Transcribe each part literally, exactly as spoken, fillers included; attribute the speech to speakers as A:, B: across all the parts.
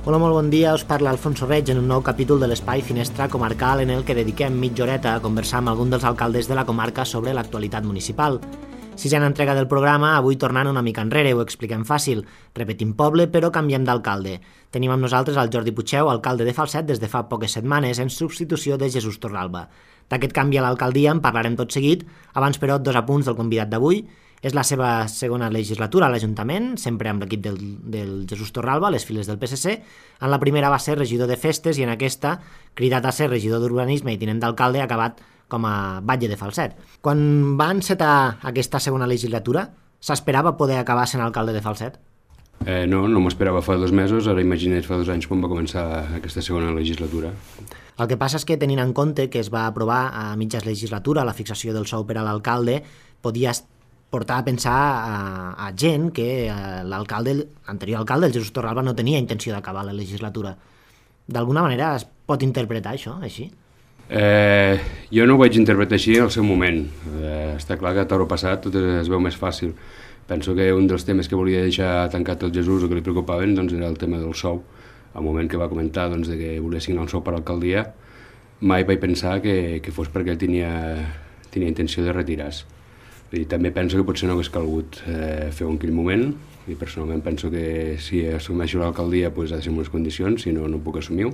A: Hola, molt bon dia, us parla Alfonso Reig en un nou capítol de l'Espai Finestra Comarcal en el que dediquem mitja horeta a conversar amb algun dels alcaldes de la comarca sobre l'actualitat municipal. Sisena entrega del programa, avui tornant una mica enrere, ho expliquem fàcil. Repetim poble, però canviem d'alcalde. Tenim amb nosaltres el Jordi Puigdeu, alcalde de Falset des de fa poques setmanes, en substitució de Jesús Torralba. D'aquest canvi a l'alcaldia en parlarem tot seguit, abans però dos apunts del convidat d'avui. És la seva segona legislatura a l'Ajuntament, sempre amb l'equip del, del Jesús Torralba, a les files del P S C. En la primera va ser regidor de festes i en aquesta, cridat a ser regidor d'urbanisme i tinent d'alcalde, ha acabat com a batlle de Falset. Quan va encetar aquesta segona legislatura, s'esperava poder acabar sent alcalde de Falset?
B: Eh, no, no m'ho esperava fa dos mesos, ara imagina't fa dos anys quan va començar aquesta segona legislatura.
A: El que passa és que, tenint en compte que es va aprovar a mitjas legislatura la fixació del sou per a l'alcalde, podia portar a pensar a, a gent que l'alcalde, l'anterior alcalde, el Jesús Torralba, no tenia intenció d'acabar la legislatura. D'alguna manera es pot interpretar això, així?
B: Eh, jo no ho vaig interpretar així al seu moment. Eh, està clar que a toro passat tot es veu més fàcil. Penso que un dels temes que volia deixar tancat el Jesús o que li preocupaven doncs, era el tema del sou. Al moment que va comentar doncs, de que volia signar el sou per l'alcaldia, mai vaig pensar que, que fos perquè tenia, tenia intenció de retirar-se. I també penso que potser no hagués calgut eh, fer-ho en aquell moment, i personalment penso que si assumeixo l'alcaldia pues, ha de ser en unes condicions, si no, no puc assumir-ho.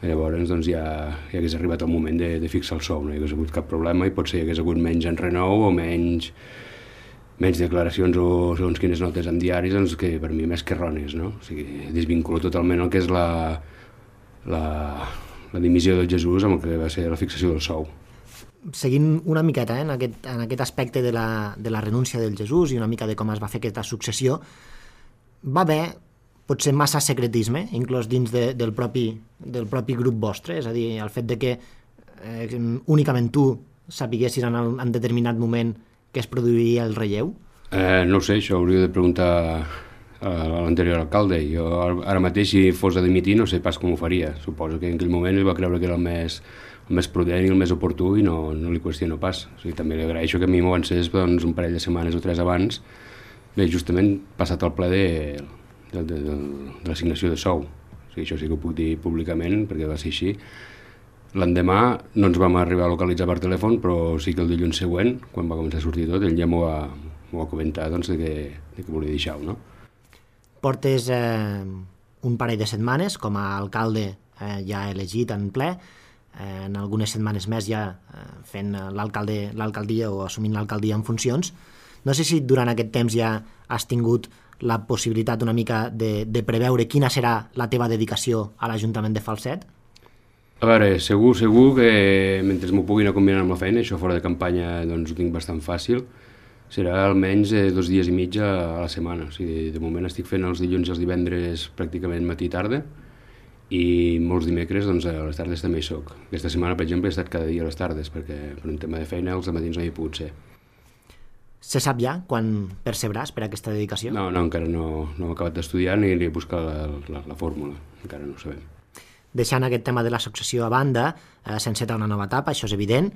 B: Llavors doncs, ja, ja hagués arribat el moment de, de fixar el sou, no hi hagués hagut cap problema i potser hi hagués hagut menys enrenou o menys, menys declaracions o segons quines notes en diaris doncs, que per mi més que errònies. No? O sigui, desvinculo totalment el que és la, la, la dimissió del Jesús amb el que va ser la fixació del sou.
A: Seguint una miqueta eh, en, aquest, en aquest aspecte de la, de la renúncia del Jesús i una mica de com es va fer aquesta successió, va haver potser massa secretisme, inclòs dins de, del, propi, del propi grup vostre, és a dir, el fet de que eh, únicament tu sapiguessis en, el, en determinat moment que es produiria el relleu?
B: Eh, no ho sé, això hauria de preguntar a l'anterior alcalde. Jo ara mateix, si fos a dimitir, no sé pas com ho faria. Suposo que en aquell moment ell va creure que era el més, el més prudent i el més oportú i no, no li qüestiono pas. O sigui, també li agraeixo que a mi m'ho avancés doncs, un parell de setmanes o tres abans, bé, justament passat el ple de, de, de, de, de l'assignació de sou. O sigui, això sí que ho puc dir públicament perquè va ser així. L'endemà no ens vam arribar a localitzar per telèfon, però sí que el dilluns següent, quan va començar a sortir tot, ell ja m'ho va, m'ho va comentar doncs, de, que, de que volia deixar-ho, no?
A: Portes eh, un parell de setmanes com a alcalde eh, ja elegit en ple, eh, en algunes setmanes més ja eh, fent l'alcalde, l'alcaldia o assumint l'alcaldia en funcions. No sé si durant aquest temps ja has tingut la possibilitat una mica de, de preveure quina serà la teva dedicació a l'Ajuntament de Falset?
B: A veure, segur, segur que mentre m'ho puguin combinar amb la feina, això fora de campanya doncs ho tinc bastant fàcil, serà almenys eh, dos dies i mig a la setmana. O sigui, de moment estic fent els dilluns i els divendres pràcticament matí i tarda i molts dimecres doncs, a les tardes també hi soc. Aquesta setmana, per exemple, he estat cada dia a les tardes perquè per un tema de feina els matins no hi he pogut ser.
A: Se sap ja quan percebràs per aquesta dedicació?
B: No, no, encara no, no he acabat d'estudiar ni he buscat la, la, la fórmula, encara no ho sabem.
A: Deixant aquest tema de la successió a banda, eh, s'enceta una nova etapa, això és evident,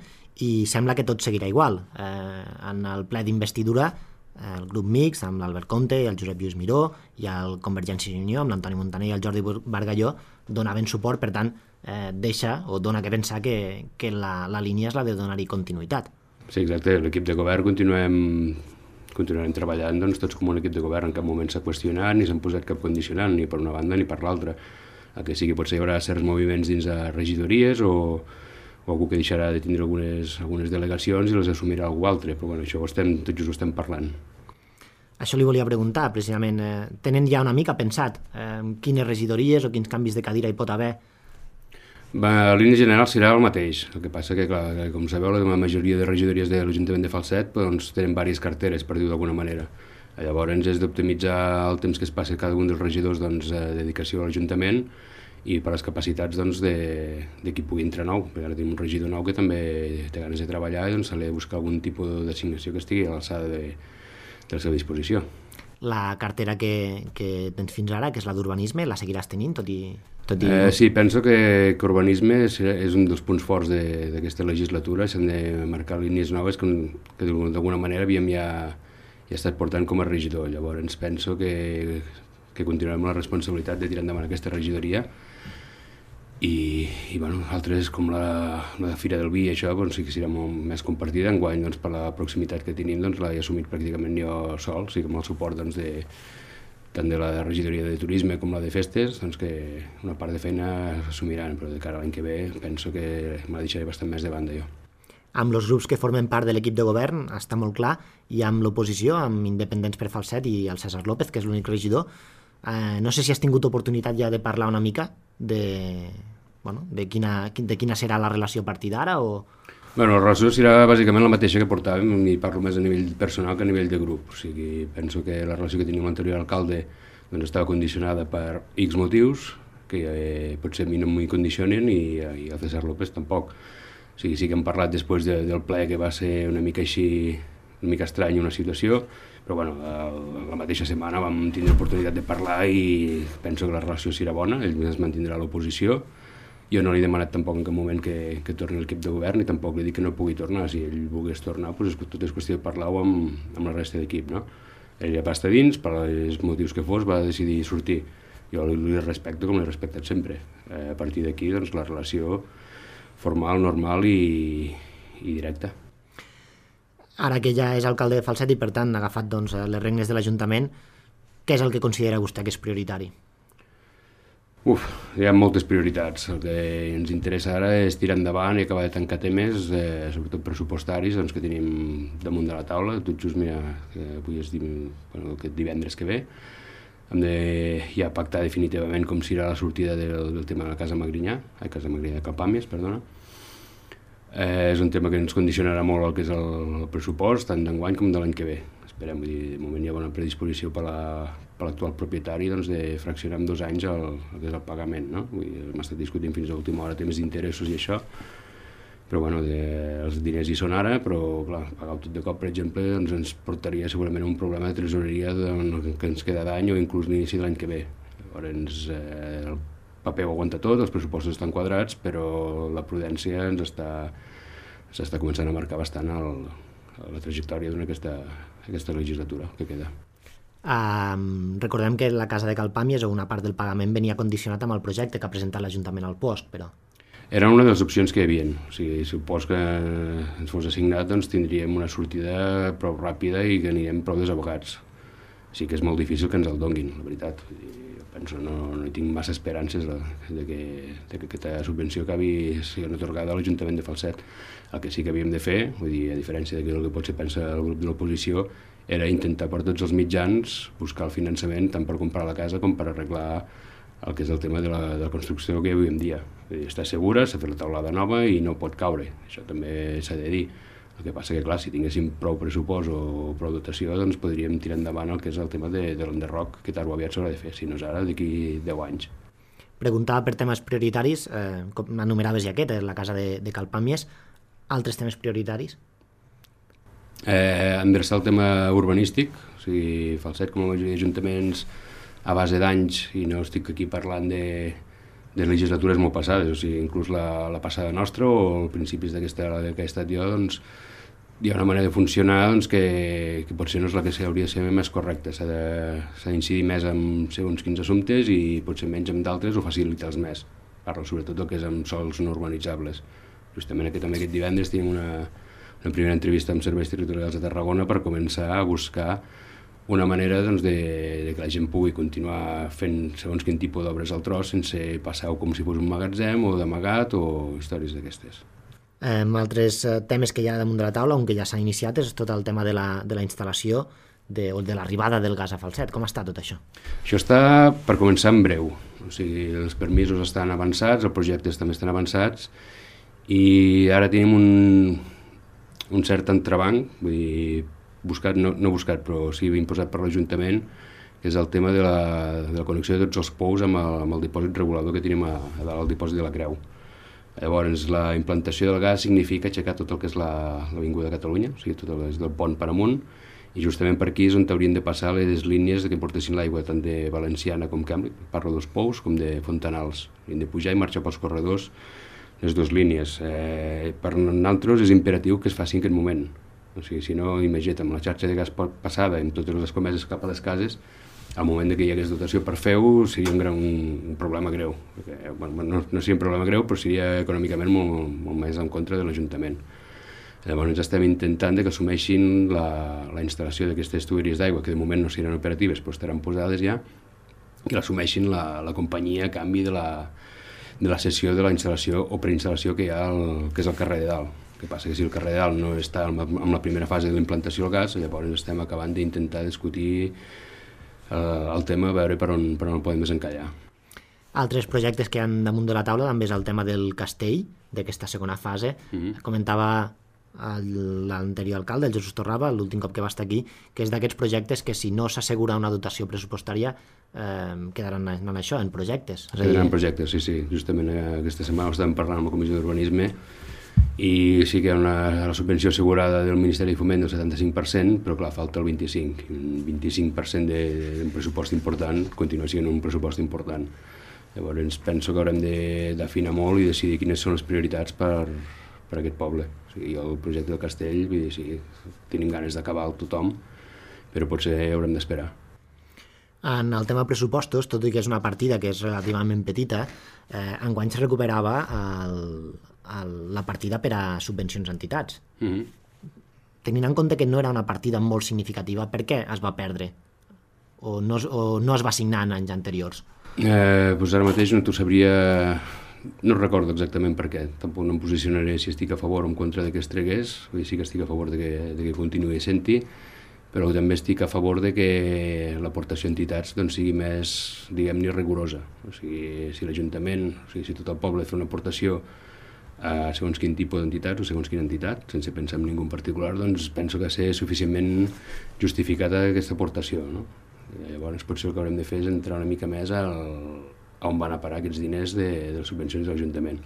A: i sembla que tot seguirà igual. Eh, en el ple d'investidura, eh, el grup mixt, amb l'Albert Conte i el Josep Lluís Miró, i el Convergència i Unió, amb l'Antoni Montaner i el Jordi Bargalló, donaven suport, per tant, eh, deixa o dona que pensar que, que la, la línia és la de donar-hi continuïtat.
B: Sí, exacte, l'equip de govern continuem, continuem treballant doncs, tots com un equip de govern, en cap moment s'ha qüestionat ni s'han posat cap condicionant, ni per una banda ni per l'altra. El que sigui potser hi haurà certs moviments dins de regidories o, o algú que deixarà de tindre algunes, algunes delegacions i les assumirà algú altre, però bueno, això ho estem, tot just ho estem parlant.
A: Això li volia preguntar, precisament, eh, tenen ja una mica pensat eh, quines regidories o quins canvis de cadira hi pot haver?
B: Va, la línia general serà el mateix, el que passa que, clar, que com sabeu, la majoria de regidories de l'Ajuntament de Falset doncs, tenen diverses carteres, per dir-ho d'alguna manera. Llavors és d'optimitzar el temps que es passa cada un dels regidors doncs, a dedicació a l'Ajuntament i per les capacitats doncs, de, de qui pugui entrar nou. Perquè ara tenim un regidor nou que també té ganes de treballar i doncs, se li ha de buscar algun tipus d'assignació que estigui a l'alçada de, de la seva disposició.
A: La cartera que, que tens fins ara, que és la d'urbanisme, la seguiràs tenint, tot i... Tot i...
B: Eh, sí, penso que, que urbanisme és, és un dels punts forts d'aquesta legislatura. S'han de marcar línies noves que, que d'alguna manera havíem ja, ja estat portant com a regidor. Llavors penso que que continuarem amb la responsabilitat de tirar endavant aquesta regidoria. I, i bueno, altres com la, la Fira del Vi i això doncs, sí que serà molt més compartida. Enguany, doncs, per la proximitat que tenim, doncs, l'he assumit pràcticament jo sol, sí que amb el suport doncs, de, tant de la regidoria de turisme com la de festes, doncs, que una part de feina s'assumiran, però de cara a l'any que ve penso que me la deixaré bastant més de banda jo.
A: Amb els grups que formen part de l'equip de govern està molt clar, i amb l'oposició, amb Independents per Falset i el César López, que és l'únic regidor, eh, no sé si has tingut oportunitat ja de parlar una mica de... Bueno, de, quina, de quina serà la relació a partir d'ara? O...
B: Bueno, la relació serà bàsicament la mateixa que portàvem, i parlo més a nivell personal que a nivell de grup. O sigui, penso que la relació que tenia l'anterior alcalde doncs, estava condicionada per X motius, que eh, potser a mi no m'hi condicionen, i, i el César López tampoc. O sigui, sí que hem parlat després de, del ple, que va ser una mica així, una mica estrany una situació, però bueno, la mateixa setmana vam tindre l'oportunitat de parlar i penso que la relació serà bona, ell es mantindrà a l'oposició. Jo no li he demanat tampoc en cap moment que, que torni a l'equip de govern, i tampoc li dic que no pugui tornar. Si ell volgués tornar, doncs tot és qüestió de parlar-ho amb, amb la resta d'equip, no? Ell ja va estar dins, per els motius que fos, va decidir sortir. Jo li respecto com l'he respectat sempre. Eh, a partir d'aquí, doncs, la relació formal, normal i, i directa.
A: Ara que ja és alcalde de Falset i, per tant, ha agafat doncs, les regnes de l'Ajuntament, què és el que considera vostè que és prioritari?
B: Uf, hi ha moltes prioritats. El que ens interessa ara és tirar endavant i acabar de tancar temes, eh, sobretot pressupostaris, doncs, que tenim damunt de la taula. Tot just, mira, que avui és bueno, aquest divendres que ve, hem de ja pactar definitivament com serà la sortida del, del tema de la Casa Magrinyà, a Casa Magrinyà de Calpàmies, perdona. Eh, és un tema que ens condicionarà molt el que és el, el pressupost, tant d'enguany com de l'any que ve. Esperem, vull dir, de moment hi ha bona predisposició per l'actual propietari doncs, de fraccionar en dos anys el, el que és el pagament, no? Vull dir, hem estat discutint fins a l'última hora temes d'interessos i això, però bueno, de, els diners hi són ara, però clar, pagar-ho tot de cop, per exemple, doncs ens portaria segurament un problema de tresoreria de, que ens queda d'any o inclús l'inici de l'any que ve. Llavors, eh, el paper ho aguanta tot, els pressupostos estan quadrats, però la prudència ens està, s'està començant a marcar bastant el, la trajectòria d'una aquesta, aquesta legislatura que queda.
A: Um, recordem que la Casa de Calpàmies o una part del pagament venia condicionat amb el projecte que ha presentat l'Ajuntament al P O S C, però...
B: Era una de les opcions que hi havia. O sigui, si el P O S C que ens fos assignat, doncs tindríem una sortida prou ràpida i que anirem prou desabogats. Sí que és molt difícil que ens el donguin, la veritat. Jo penso, no, no hi tinc massa esperances de, de, que, de que aquesta subvenció acabi sent atorgada a l'Ajuntament de Falset. El que sí que havíem de fer, vull dir, a diferència del que potser pensa el grup de l'oposició, era intentar per tots els mitjans buscar el finançament tant per comprar la casa com per arreglar el que és el tema de la, de la construcció que hi ha avui en dia. Vull dir, està segura, s'ha fet la taulada nova i no pot caure, això també s'ha de dir. El que passa que, clar, si tinguéssim prou pressupost o prou dotació, doncs podríem tirar endavant el que és el tema de, de l'enderroc, que tard o aviat s'haurà de fer, si no és ara, d'aquí deu anys.
A: Preguntava per temes prioritaris, eh, com enumeraves ja aquest, la Casa de, de Calpàmies, altres temes prioritaris?
B: Eh, endreçar el tema urbanístic, o sigui, Falset, com la majoria d'ajuntaments, a base d'anys, i no estic aquí parlant de, de legislatures molt passades, o sigui, inclús la, la passada nostra o els principis d'aquesta que he estat jo, doncs, hi ha una manera de funcionar doncs, que, que potser no és la que hauria de ser més correcta. S'ha d'incidir més en segons quins assumptes i potser menys en d'altres o facilitar-los més. Parlo sobretot del que és amb sols no urbanitzables. Justament aquest, també aquest divendres tenim una, una primera entrevista amb serveis territorials de Tarragona per començar a buscar una manera doncs, de, de que la gent pugui continuar fent segons quin tipus d'obres al tros sense passar-ho com si fos un magatzem o d'amagat o històries d'aquestes.
A: Eh, altres temes que hi ha damunt de la taula, on que ja s'ha iniciat, és tot el tema de la, de la instal·lació de, o de l'arribada del gas a Falset. Com està tot això?
B: Això està per començar en breu. O sigui, els permisos estan avançats, els projectes també estan avançats i ara tenim un, un cert entrebanc, vull dir, buscat, no, no buscat, però sí imposat per l'Ajuntament, que és el tema de la, de la connexió de tots els pous amb el, amb el dipòsit regulador que tenim a, a dalt al dipòsit de la Creu. Llavors, la implantació del gas significa aixecar tot el que és l'Avinguda de Catalunya, o sigui, tot el que és del pont per amunt, i justament per aquí és on haurien de passar les línies que portessin l'aigua tant de Valenciana com Càmbric, parlo dels pous, com de Fontanals. Hem de pujar i marxar pels corredors les dues línies. Eh, per nosaltres és imperatiu que es faci en aquest moment. O sigui, si no, imagina't, amb la xarxa de gas passada, amb totes les comeses cap a les cases, al moment que hi hagués dotació per fer-ho seria un, gran, un problema greu. Perquè, bueno, no, no seria un problema greu, però seria econòmicament molt, molt més en contra de l'Ajuntament. Llavors estem intentant que assumeixin la, la instal·lació d'aquestes tuberies d'aigua, que de moment no seran operatives, però estaran posades ja, que l'assumeixin la, la companyia a canvi de la, de la cessió de la instal·lació o preinstal·lació que hi ha al, que és al carrer de dalt. El que passa que si el carrer de dalt no està en la primera fase de la implantació del gas, llavors estem acabant d'intentar discutir el tema, a veure per on, per on el podem desencallar.
A: Altres projectes que hi ha damunt de la taula també és el tema del castell, d'aquesta segona fase. Mm-hmm. Comentava l'anterior alcalde, el Jesús Torraba, l'últim cop que va estar aquí, que és d'aquests projectes que si no s'assegura una dotació pressupostària eh, quedaran en això, en projectes.
B: Quedaran en projectes, sí, sí. Justament aquesta setmana estàvem parlant amb la Comissió d'Urbanisme i sí que hi ha una, la subvenció assegurada del Ministeri de Foment del setanta-cinc per cent, però clar, falta el vint-i-cinc per cent. Un vint-i-cinc per cent d'un pressupost important continua sent un pressupost important. Llavors penso que haurem d'afinar molt i decidir quines són les prioritats per, per a aquest poble. O sigui, el projecte del castell, vull dir, sí, tenim ganes d'acabar tothom, però potser haurem d'esperar.
A: En el tema pressupostos, tot i que és una partida que és relativament petita, eh, enguany se recuperava el, el, la partida per a subvencions a entitats. Mm-hmm. Tenint en compte que no era una partida molt significativa, per què es va perdre? O no, o no es va assignar en anys anteriors?
B: Eh, doncs ara mateix no t'ho sabria... No recordo exactament per què. Tampoc no em posicionaré si estic a favor o en contra de que es tregués. Vull dir, sí que estic a favor de que, de que continuï sent-hi, però també estic a favor de que l'aportació a entitats doncs, sigui més, diguem-ne, rigorosa. O sigui, si l'Ajuntament, o sigui, si tot el poble fa una aportació a segons quin tipus d'entitats o segons quina entitat, sense pensar en ningú en particular, doncs penso que ha de ser suficientment justificada aquesta aportació, no? I llavors potser el que haurem de fer és entrar una mica més al, a on van a parar aquests diners de, de les subvencions de l'Ajuntament.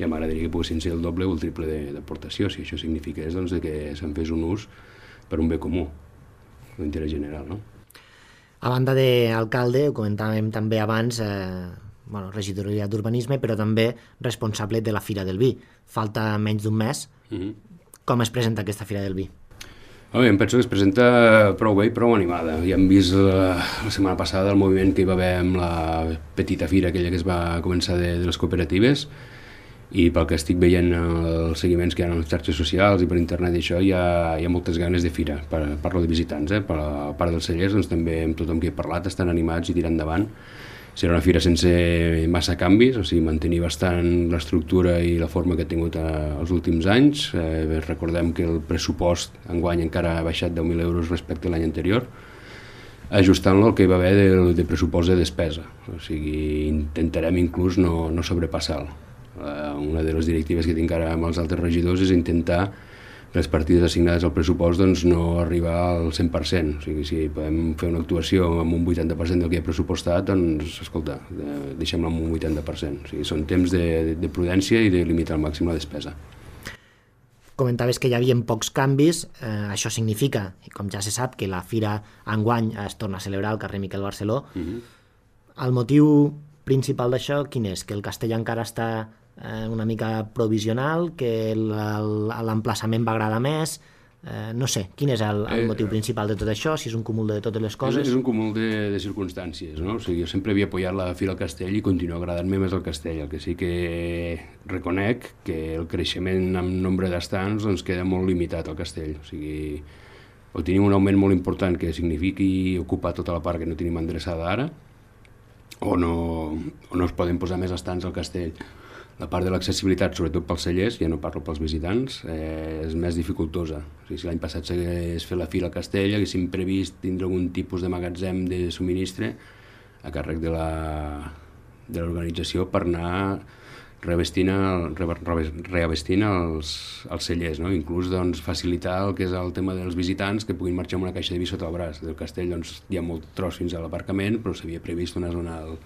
B: Ja m'agradaria que poguessin ser el doble o el triple d'aportació, si això signifiqués doncs, que se'n fes un ús per un bé comú, l'interès general, no?
A: A banda d'alcalde, ho comentàvem també abans, eh, bueno, regidoria d'urbanisme, però també responsable de la Fira del Vi. Falta menys d'un mes. Mm-hmm. Com es presenta aquesta Fira del Vi?
B: Oh, em penso que es presenta prou bé i prou animada. Ja hem vist la, la setmana passada el moviment que hi va haver amb la petita fira aquella que es va començar de, de les cooperatives, i pel que estic veient els seguiments que hi ha a les xarxes socials i per internet i això, hi ha, hi ha moltes ganes de fira. Parlo de visitants, eh? Per la part dels cellers, doncs, també amb tothom que he parlat estan animats i tirant endavant. Serà una fira sense massa canvis, o sigui, mantenir bastant l'estructura i la forma que ha tingut els últims anys. Eh, recordem que el pressupost enguany encara ha baixat deu mil euros respecte a l'any anterior, ajustant-lo al que hi va haver de, de pressupost de despesa. O sigui, intentarem inclús no, no sobrepassar-lo. Eh, una de les directives que tinc ara amb els altres regidors és intentar les partides assignades al pressupost doncs, no arribar al cent per cent. O sigui, si podem fer una actuació amb un vuitanta per cent del que hi ha pressupostat, doncs, escolta, deixem-la amb un vuitanta per cent. O sigui, són temps de, de prudència i de limitar al màxim la despesa.
A: Comentaves que hi havia pocs canvis, eh, això significa, com ja se sap, que la fira enguany es torna a celebrar al carrer Miquel Barceló. Mm-hmm. El motiu principal d'això quin és? Que el castell encara està una mica provisional, que l'emplaçament va agradar més, eh, no sé, quin és el, el motiu principal de tot això, si és un cúmul de totes les coses?
B: És, és un cúmul de, de circumstàncies, no? O sigui, jo sempre havia apoyat la Fira al Castell i continua agradant-me més el Castell, el que sí que reconec que el creixement en nombre d'estants doncs, queda molt limitat al Castell, o sigui, o tenim un augment molt important que signifiqui ocupar tota la part que no tenim endreçada ara, o no, o no es poden posar més estants al Castell. La part de l'accessibilitat, sobretot pels cellers, ja no parlo pels visitants, eh, és més dificultosa. O sigui, si l'any passat s'hagués fet la fira al Castell, haguéssim previst tindre algun tipus de magatzem de subministre a càrrec de l'organització per anar revestint, el, reavestint els, els cellers, no? Inclús doncs, facilitar el que és el tema dels visitants que puguin marxar amb una caixa de vi sota el braç. Del Castell doncs, hi ha molt tros fins a l'aparcament, però s'havia previst una zona al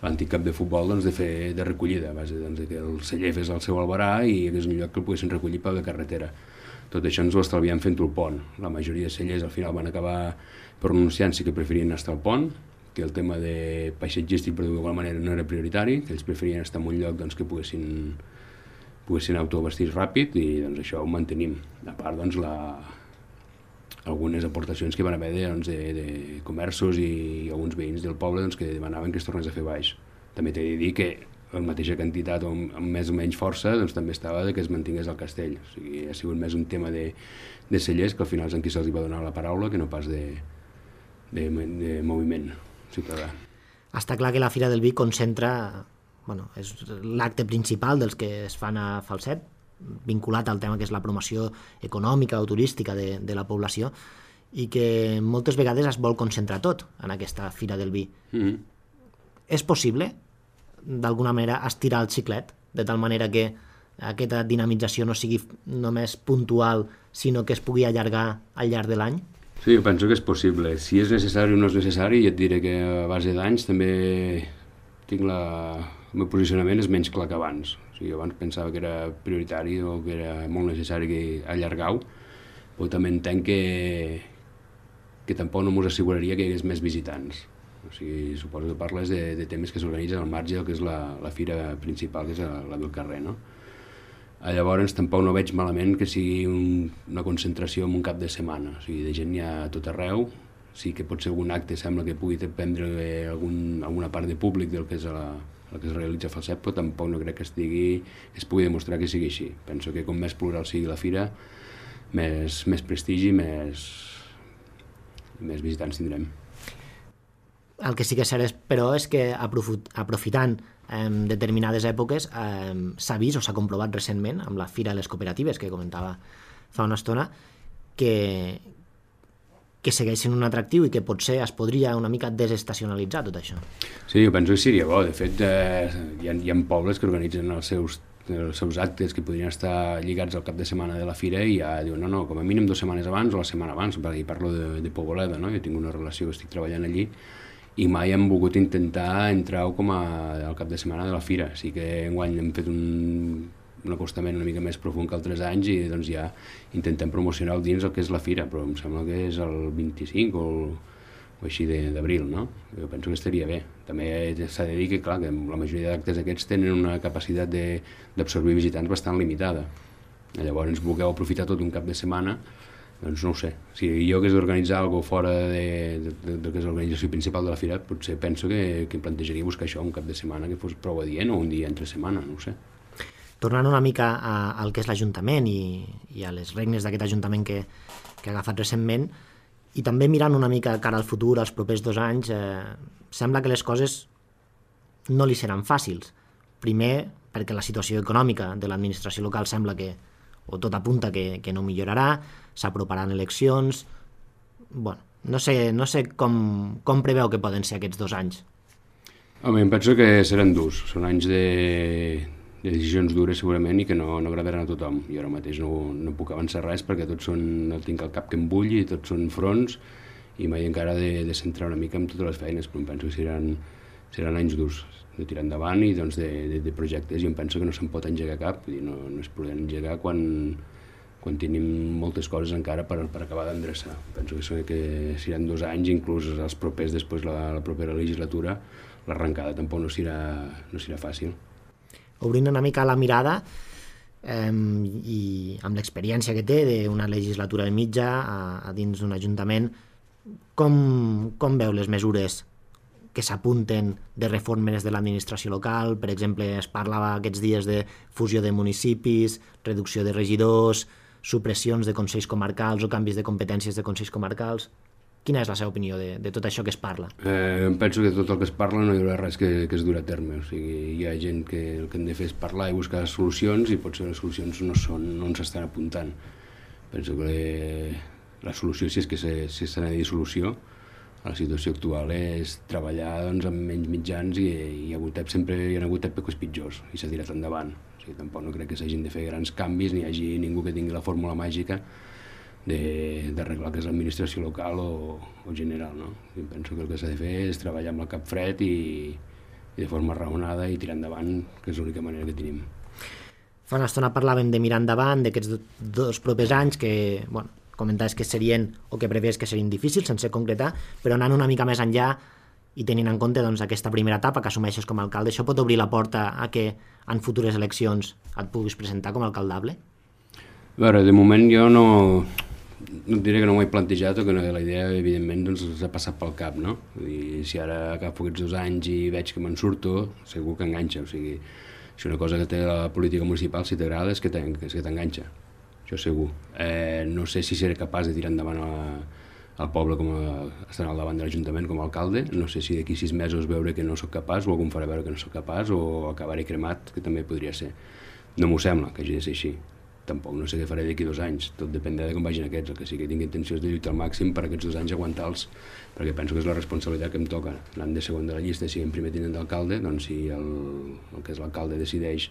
B: l'antic camp de futbol doncs, de fer de recollida, a base doncs, de que el celler fes el seu albarà i hi hagués un lloc que el poguessin recollir per la carretera. Tot això ens ho estalviem fent-ho al pont. La majoria de cellers al final van acabar pronunciant-se que preferien estar al pont, que el tema de paisatgístic per d'alguna manera no era prioritari, que ells preferien estar en un lloc doncs, que poguessin, poguessin autovestir ràpid i doncs, això ho mantenim. A part, doncs, la, algunes aportacions que van haver de, doncs, de, de comerços i, i alguns veïns del poble doncs, que demanaven que es tornés a fer baix. També t'he de dir que la mateixa quantitat o amb, amb més o menys força doncs, també estava de que es mantingués el castell. O sigui, ha sigut més un tema de, de cellers, que al final és en qui se'ls va donar la paraula, que no pas de, de, de moviment ciutadà.
A: Està clar que la Fira del Vi concentra, bueno, és l'acte principal dels que es fan a Falset, vinculat al tema que és la promoció econòmica o turística de, de la població, i que moltes vegades es vol concentrar tot en aquesta Fira del Vi. Mm-hmm. És possible, d'alguna manera, estirar el xiclet, de tal manera que aquesta dinamització no sigui només puntual, sinó que es pugui allargar al llarg de l'any?
B: Sí, jo penso que és possible. Si és necessari o no és necessari, ja et diré que a base d'anys també tinc la... el meu posicionament és menys clar que abans. O sigui, abans pensava que era prioritari o que era molt necessari que allargar-ho, però també entenc que, que tampoc no m'ho asseguraria que hi hagués més visitants. O sigui, suposo que parles de, de temes que s'organitzen al marge del que és la, la fira principal, que és la, la del carrer, no? Llavors tampoc no veig malament que sigui un, una concentració en un cap de setmana, o sigui, de gent hi ha a tot arreu. Sí que pot ser algun acte, sembla que pugui prendre algun, alguna part de públic del que és la, el que es realitza a Falset, però tampoc no crec que estigui, que es pugui demostrar que sigui així. Penso que com més plural sigui la fira, més, més prestigi, més, més visitants tindrem.
A: El que sí que és cert, però, és que aprofitant eh, determinades èpoques eh, s'ha vist o s'ha comprovat recentment amb la Fira de les Cooperatives, que comentava fa una estona, que, que segueixen un atractiu i que potser es podria una mica desestacionalitzar tot això.
B: Sí, jo penso que seria bo. De fet, eh, hi, ha, hi ha pobles que organitzen els seus, els seus actes que podrien estar lligats al cap de setmana de la fira i ja diuen, no, no, com a mínim dues setmanes abans o la setmana abans, perquè parlo de, de Poboleda, no? Jo tinc una relació que estic treballant allí i mai hem volgut intentar entrar com a, al cap de setmana de la fira. Sí que enguany hem fet un, un acostament una mica més profund que altres anys i doncs ja intentem promocionar el dins el que és la fira, però em sembla que és el vint-i-cinc o, o així d'abril, no? Jo penso que estaria bé. També s'ha de dir que, clar, que la majoria d'actes aquests tenen una capacitat d'absorbir visitants bastant limitada. Llavors voleu aprofitar tot un cap de setmana, doncs no ho sé. Si jo hagués d'organitzar alguna cosa fora de, de, de, de que és l'organització principal de la fira, potser penso que, que plantejaria buscar això un cap de setmana que fos prou adient o un dia entre setmana, no ho sé.
A: Tornant una mica a, al que és l'Ajuntament i, i a les regnes d'aquest Ajuntament que, que ha agafat recentment, i també mirant una mica cara al futur, als propers dos anys, eh, sembla que les coses no li seran fàcils. Primer, perquè la situació econòmica de l'administració local sembla que, o tot apunta que, que no millorarà, s'aproparan eleccions... Bueno, no sé, no sé com, com preveu que poden ser aquests dos anys.
B: Home, em penso que seran durs. Són anys de, de decisions dures segurament i que no, no agradaran a tothom. Jo ara mateix no, no puc avançar res perquè tots són, no tinc el cap que em bulli, tots són fronts i mai encara de, de centrar una mica en totes les feines, però em penso que seran, seran anys durs de tirar endavant i doncs, de, de, de projectes, i em penso que no se'n pot engegar cap, vull dir, no, no es poden engegar quan, quan tenim moltes coses encara per, per acabar d'endreçar. Penso que, que seran dos anys, inclús els propers, després la, la propera legislatura, l'arrencada tampoc no serà, no serà fàcil.
A: Obrint una mica la mirada, eh, i amb l'experiència que té d'una legislatura i mitja a, a dins d'un ajuntament, com, com veu les mesures que s'apunten de reformes de l'administració local? Per exemple, es parlava aquests dies de fusió de municipis, reducció de regidors, supressions de consells comarcals o canvis de competències de consells comarcals. Quina és la seva opinió de, de tot això que es parla?
B: Eh, em penso que tot el que es parla no hi haurà res que, que es durà a terme. O sigui, hi ha gent que el que han de fer és parlar i buscar solucions i potser les solucions no són, no ens estan apuntant. Penso que la solució, si és que se, si s'ha de dir solució, la situació actual és treballar doncs, amb menys mitjans i hi ha hagut sempre hi ha hagut èpoques pitjors i s'ha tirat endavant. O sigui, tampoc no crec que s'hagin de fer grans canvis ni hi hagi ningú que tingui la fórmula màgica d'arreglar que és l'administració local o, o general, no? I penso que el que s'ha de fer és treballar amb el cap fred i, i de forma raonada i tirar endavant, que és l'única manera que tenim.
A: Fa una estona parlàvem de mirar endavant, d'aquests dos propers anys que, bueno, comentaves que serien, o que preveus que serien difícils, sense concretar, però anant una mica més enllà i tenint en compte doncs, aquesta primera etapa que assumeixes com a alcalde, això pot obrir la porta a que en futures eleccions et puguis presentar com a alcaldable?
B: A veure, de moment jo no, no et diré que no m'ho he plantejat o que no, la idea, evidentment, doncs, s'ha passat pel cap, no? I si ara agafo aquests dos anys i veig que me'n surto, segur que enganxa, o sigui, si una cosa que té la política municipal, si t'agrada, és que t'enganxa, això segur. Eh, no sé si seré capaç de tirar endavant a, al poble com a, estant al davant de l'Ajuntament com a alcalde, no sé si d'aquí sis mesos veure que no sóc capaç o algú em farà veure que no sóc capaç o acabaré cremat, que també podria ser. No m'ho sembla que hagi de ser així. Tampoc no sé què faré d'aquí dos anys, tot dependrà de com vagin aquests, el que sí que tinc intencions de lluitar al màxim per aquests dos anys aguantar-los, perquè penso que és la responsabilitat que em toca. Anant de segon de la llista, si en primer tinent d'alcalde, doncs si el, el que és l'alcalde decideix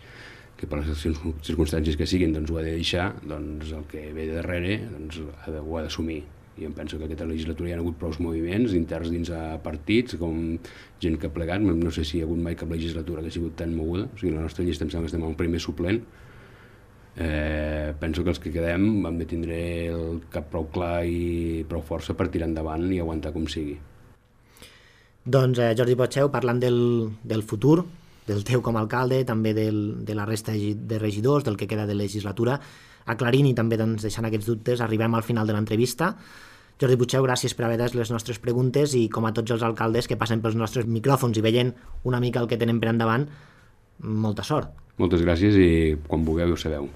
B: que per les circumstàncies que siguin doncs ho ha de deixar, doncs el que ve de darrere doncs, ha de, ho ha d'assumir. I em penso que aquesta legislatura hi ha hagut prou moviments interns dins a partits, com gent que ha plegat, no sé si hi ha hagut mai cap legislatura que ha sigut tan moguda, o sigui, la nostra llista em sembla que estem al primer suplent. Eh, penso que els que quedem hem de tindre el cap prou clar i prou força per tirar endavant i aguantar com sigui.
A: Doncs eh, Jordi Potxeu, parlant del, del futur, del teu com a alcalde, també del, de la resta de regidors, del que queda de legislatura, aclarint i també doncs, deixant aquests dubtes, arribem al final de l'entrevista. Jordi Potxeu, gràcies per haver des les nostres preguntes i com a tots els alcaldes que passen pels nostres micròfons i veient una mica el que tenen per endavant, molta sort.
B: Moltes gràcies i quan vulgueu ho sabeu.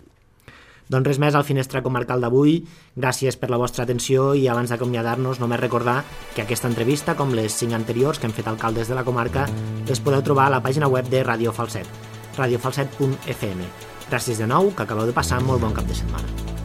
A: Doncs res més al Finestra Comarcal d'avui. Gràcies per la vostra atenció i abans d'acomiadar-nos només recordar que aquesta entrevista, com les cinc anteriors que hem fet alcaldes de la comarca, les podeu trobar a la pàgina web de Radio Falset, radio falset punt f m. Gràcies de nou, que acabeu de passar molt bon cap de setmana.